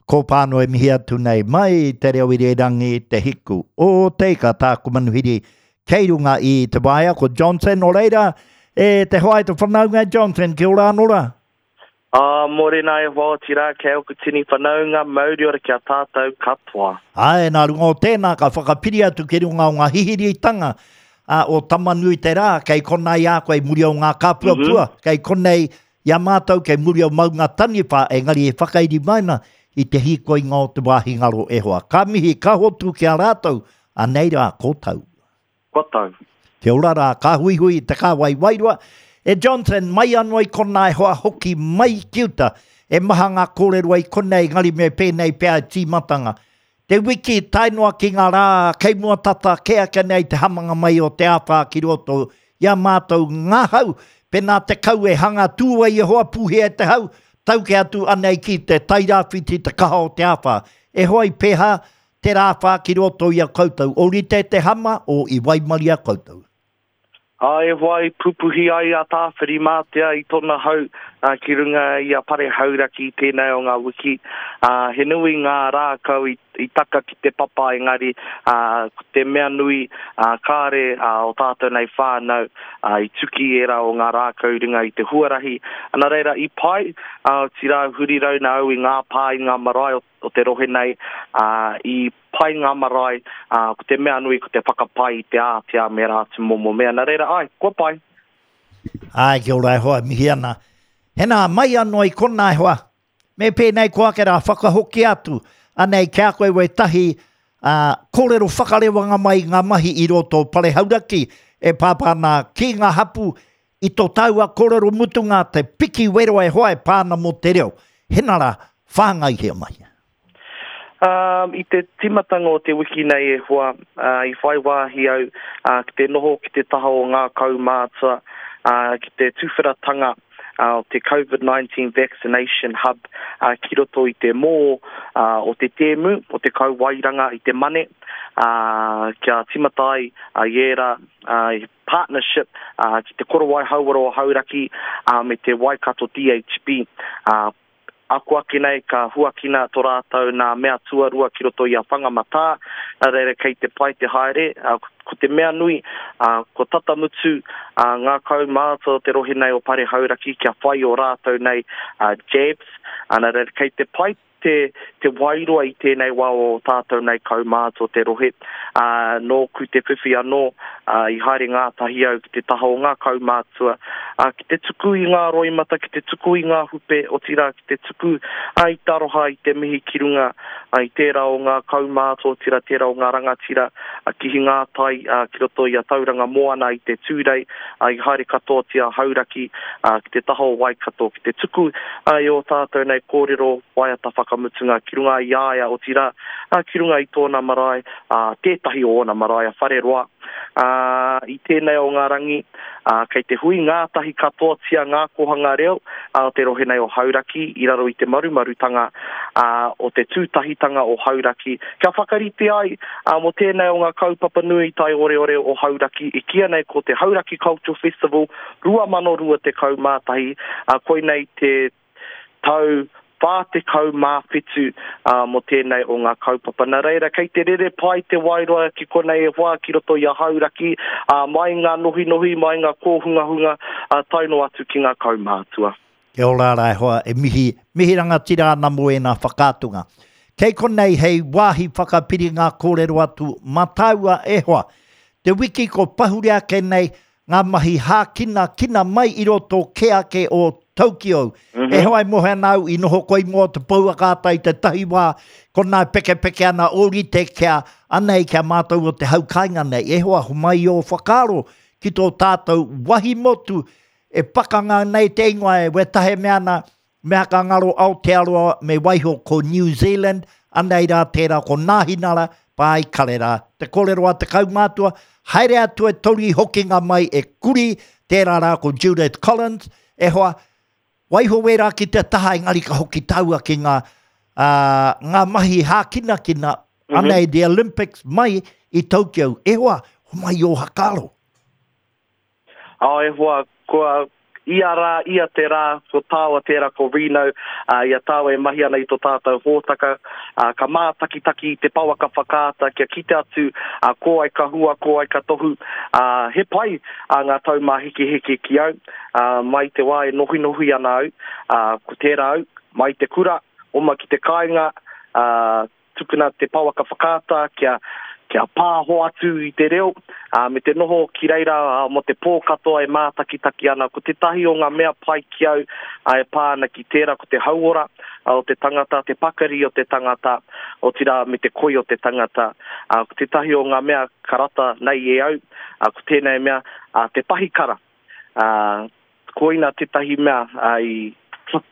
Ko Pāno e mihi atu nei mai i te reo irirangi Te Hiku o Te Ika tāku manuhiri kei runga i te waea ko Johnson nō reira e te hoa e te whanaunga e Johnson kia ora anō rā. Ā, mōrena e hoa otirā kei oku tini whanaunga mauri ora ki a tātou katoa. Āe, nā runga o tēnā ka whakapiri atu ki runga o ngā hihiritanga o Tama-nui-te-rā, kei konā i a koe i muri o ngā kāpuapua, kei konei i a mātou kei muri o Maunga Taniwha, engari e whakairi mai ana i te hīkoinga o te wāhi ngaro e hoa. Ka mihi, ka hotu ki a rātou, anei rā, ko tau. Kua tau. Kia ora rā, ka huihui i te kāwai wairua. E Johnson, mai anō i konā e hoa hoki mai ki uta. E maha ngā kōrero i konei, engari me pēnei pea e tīmatanga. Te wiki tae noa ki ngā rā kei mua tata kē ake nei te hamanga mai o te āwhā ki roto i a mātou ngā hau. Pēnā te kau e hanga tū ai e hoa pūhea e te hau, tau kē atu anei ki te Tairāwhiti te kaha o te āwhā. E hoa i pēhā Te rāwhā ki roto i a koutou, orite te hama o i waimaria koutou. Ā, e hoa i pupuhi ai a Tāwhirimātea i tōna hau ki runga i a Pare Hauraki i tēnei o ngā wiki. Ā, he nui ngā rākau i taka ki te papa engari, ā, ko te mea nui, ā, kāre ō tātou nei whānau i tuki ērā o ngā rākau i runga i te huarahi. Nā reira, i pai, ā, otirā huri rauna au i ngā pā, i ngā marae o o te rohe nei, ā, i pai ngā marae, ā, ko te mea nui ko te whakapai i te ātea me ērā atu momo mea. Nā reira, āe, kua pai. Āe, kia ora e hoa, e mihi ana. Hena, mai anō i konā e hoa. Me pēnei koa ake rā, whakahoki atu, anei ki a koe wētahi, ā, kōrero whakarewanga mai i ngā mahi i roto o Pare Hauraki e pāpā ana ki ngā hapū I to taua korero mutunga te piki wero e hoa e pa ana mo te reo. Hena ra, whangaihia mai. Ā, i te tīmatanga o te wiki nei e hoa, ā, i whai wāhi au, ā, ki te noho ki te taha o ngā kaumātua, ā, ki te tuwheratanga, ā, o te Covid-19 Vaccination Hub, ā, ki roto i te mō, ā, o te tēmu, o te Kauaeranga i te Mane, ā, kia tīmata ai, ā, i ērā, ā, i partnership ki te Korowai Hauora o Hauraki me te Waikato DHB. Ako ake nei ka huakina to rātou nā mea tuarua ki roto i a Whangamatā, nā reira kei te pai te haere. Ko te mea nui, kua tata mutu ngā kaumātua o te rohe nei o Pare Hauraki kia whai o rātou nei jabs, nā reira kei te pai te, te wairua i tēnei wā o tātou nei kaumātua o te rohe, ā, nōku te whiwhi anō, ā, i haere ngātahi au ki te taha o ngā kaumātua, ā, ki te tuku i ngā roimata, ki te tuku i ngā hupe, otirā ki te tuku, ā, i te aroha, i te mihi ki runga, ā, i tērā o ngā kaumātua, otirā tērā o ngā rangatira, ā, ki Hingātai, ā, ki roto i a Tauranga Moana i te Tūrei, ā, i haere katoatia a Hauraki, ā, ki te taha o Waikato, ki te tuku, ā, i ō tātou nei kōrero waiata whakamutunga ki runga i a ia, otirā, ā, ki runga i tōna marae, ā, tētahi o ōna marae a Whareroa. Ā, i tēnei o ngā rangi, ā, kei te hui ngātahi katoatia ngā kōhanga reo ā, o te rohe nei o Hauraki i raro i te marumarutanga, ā, o te tūtahitanga o Hauraki, kia whakarite ai, ā, mō tēnei o ngā kaupapa nui taioreore o Hauraki i kīia nei ko te Hauraki Cultural Festival 2021, ā, koinei te tau 47 mō tēnei o ngā kaupapa. Nā reira, kei te rere pai te waeroa ki konei e hoa ki roto i a Hauraki, ā, mai ngā nohinohi, mai ngā kōhungahunga, ā, tae noa atu ki ngā kaumātua. Kia ora rā e hoa, e mihi, mihi rangatira ana mō ēnā whakaatunga. Kei konei hei wāhi whakapiri ngā kōrero atu mā tāua e hoa. Te wiki ko pahure ake nei, ngā mahi hākinakina mai i roto kē ake o Tokyo. Mm -hmm. E hoa e mohe ana au i noho koe i mua o te pouaka ata i tētahi wā, konā e pekepeke ana ōrite kia anei kia mātou o te hau kāinga nei. E hoa, homai i ō whakaaro ki tō tātou wahi motu e pakanga nei te ingoa e wetahe mea ana, Mea ka ngaro Aotearoa me waiho ko New Zealand, anei rā tērā ko Nāhinara, Pā i Karera. Te kōrero a te kaumātua, haere atu e tori hokinga mai e kuri, tērā rā ko Judith Collins, e hoa, waiho wērā ki te taha engari ka hoki tāua ki ngā, ā, ngā mahi hākinakina, anei the Olympics mai i Tokyo. E hoa, homai ō hakaaro. Ā, e hoa, kua. Ia rā, ia te rā, ko tāua tērā ko Reno, ā, i a tāua e mahi ana i tō tātou hōtaka, ā, ka mātakitaki i te pouaka whakaata kia kite atu, ā, ko ai ka hua, ko ai ka tohu, ā, he pai, ā, ngā taumāhekeheke ki au, ā, mai te wā e nohinohi ana au, ā, ko tērā au, mai te kura, oma ki te kāinga, ā, Tukuna te pouaka whakaata kia kia pāho atu i te reo, ā, me te noho ki reira mō te pō katoa e mātakitaki ana. Ko tētahi o ngā mea pai ki au e pā ana ki tērā, ko te hauora o te tangata, te pakari o te tangata, otirā me te koi o te tangata. Ā, ko tētahi o ngā mea ka rata nei e au, ā, ko tēnei mea, ā, te pahikara. Ā, Koina tētahi mea i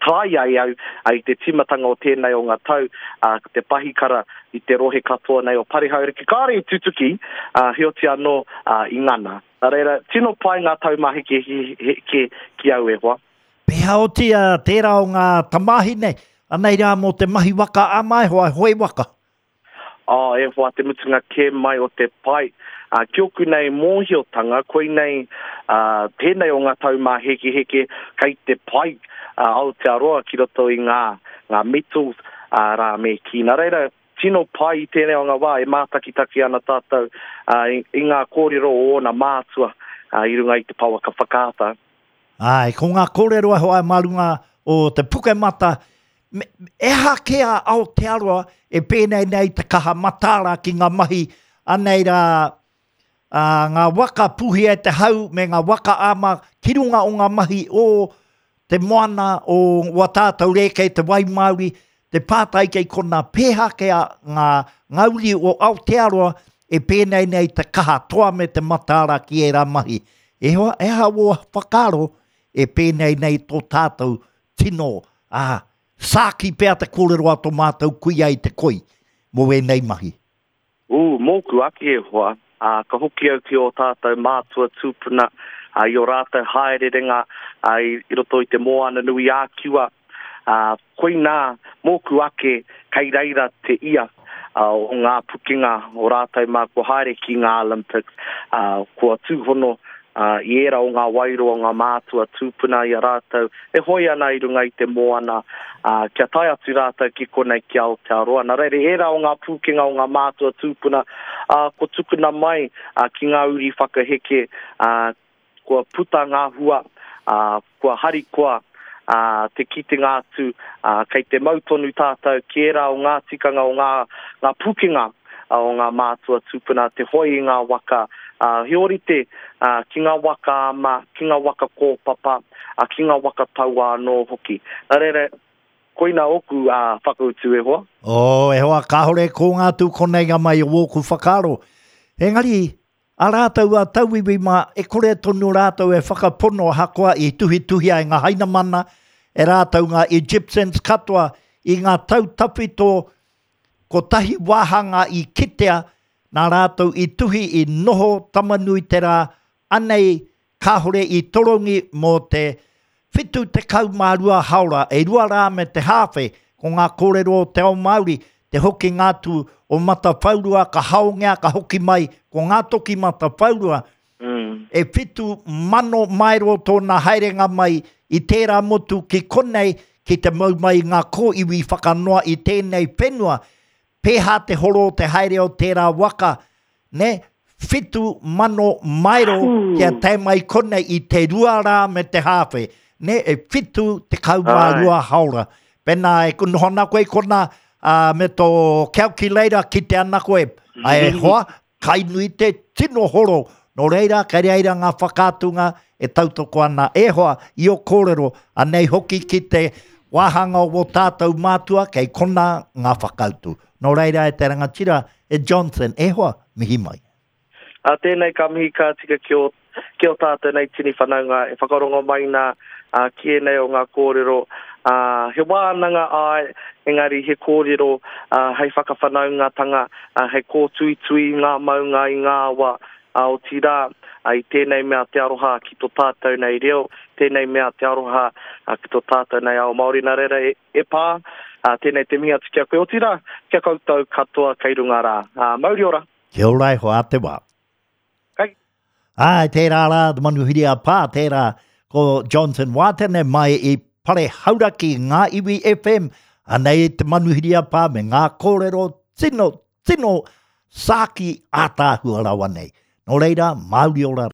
try ai au i te tīmatanga o tēnei o ngā tau, ko te pahikara i te rohe katoa nei o Parihauriki. Kāore i tutuki, heoti anō i ngana. Nā reira, tino pai ngā taumāhekeheke ki au e hoa. Pēhea otia tērā o ngā tamāhine, anei rā mō te mahi waka ama e hoa, hoe waka? Oh, e hoa, te mutunga kē mai o te pai. Uh, ki oku nei mōhiotanga, koinei uh, tēnei o ngā taumāhekeheke kei te pai uh, Aotearoa ki roto i ngā, ngā metals uh, rā me kī. Nā reira, tino pai i tēnei o ngā wā e mātakitaki ana tātou uh, i, i ngā kōrero o ōna mātua uh, i runga i te pouaka whakaata. Āe, ko ngā kōrero e hoa mā runga o te Pukemata, me, e aha kē a Aotearoa e pēnei nei te kaha mataara ki ngā mahi anei rā, ā, ngā waka puhia e te hau me ngā waka ama ki runga o ngā mahi o te moana o wā tātou rēkei te wai Māori, te pātai kei konā pēhea kē a ngā, ngā uri o Aotearoa e pēnei nei te kaha toa me te mataara ki ērā mahi. E hoa, e aha wō whakaaro e pēnei nei tō tātou tino, ā, sāki pea te kōrero a tō mātou kuia i te koi mō ēnei mahi? Ū, mōku ake e hoa, ā, ka hoki au ki ō tātou mātua tūpuna, ā, i ō rātou haererenga, ā, i, i roto i te Moana-nui-ā-Kiwa, ā, koinā, mōku ake, kei reira te ia, ā, o ngā pukenga o rātou mā kua haere ki ngā Olympics, ā, kua tūhono, ā, i ērā o ngā wairua o ngā mātua tūpuna i a rātou e hoe ana i runga i te moana, ā, kia tae atu rātou ki konei ki Aotearoa. Nā reira, ērā o ngā pūkenga o ngā mātua tūpuna, ā, kua tukuna mai, ā, ki ngā uri whakaheke, ā, kua puta ngā hua, ā, kua harikoa, ā, te kitenga atu, ā, kei te mau tonu tātou ki ērā o ngā tikanga o ngā, ngā pūkenga, o ngā mātua tūpuna, te hoe i ngā waka, ā, he ōrite, ā, ki ngā waka ama, ki ngā waka kōpapa, ā, ki ngā waka tauā anō hoki. Nā reira, koina ōku, ā, whakautu e hoa. Oh, e hoa, kāore e kōnga atu konei ngā mai o ōku whakaaro. Engari, a rātou a tauiwi mā, e kore tonu rātou e whakapono ahakoa i tuhituhia e ngā Hainamana, e rātou ngā Egyptians katoa i ngā tau tawhito Kotahi wāhanga i kitea, nā rātou i tuhi i noho Tamanuiterā, anei kāore i torongi mō te 72 haora, e rua rā me te hāwhe, ko ngā kōrero o te ao Māori, te hokinga atu o Matawhaurua ka haongia ka hoki mai ko ngā toki Matawhaurua, e 7,000 maero tōna haerenga mai i tērā motu ki konei ki te mau mai i ngā kōiwi whakanoa i tēnei whenua, pēhā te horo o te haere o tērā waka, nē, 7,000 maero kia tae mai konei i te rua rā me te hāwhe, nē, e 72 haora. Pēnā e noho ana koe i konā, ā, me tō calculator kite ana koe, e hoa, Kai nui te tino horo, nō reira kei reira ngā whakaatunga e tautoko ana e hoa i ō kōrero, anei hoki ki te wāhanga o wō tātou mātua kei konā ngā whakautu. Nō reira e te rangatira, e Johnson, e hoa, mihi mai. Ā tēnei ka mihi ka tika ki ō, ki ō tātou nei tini whanaunga e whakarongo mai nā, ā, ki ēnei o ngā kōrero, ā, he wānanga āe, engari he kōrero, ā, hei whakawhanaungatanga, ā, hei kōtuitui i ngā maunga, i ngā awa, ā, otirā, ā, i tēnei mea te aroha ki to tātou nei reo, tēnei mea te aroha, ā, ki to tātou nei ao Māori. Nā reira, e, e pā, ā, tēnei te mihi atu ki a koe, otirā, ki a koutou katoa kei runga rā. Ā, mauri ora! Kia ora e hoa, a te wā. Kai. Āe, tērā rā, te manuhiri a Pā, tērā. Ko Johnson Wātene mai i Pare Hauraki, Ngā Iwi FM, anei te manuhiri a Pā me ngā kōrero tino, tino sāki ātaahua rawa nei. Nō reira, Māuri ora.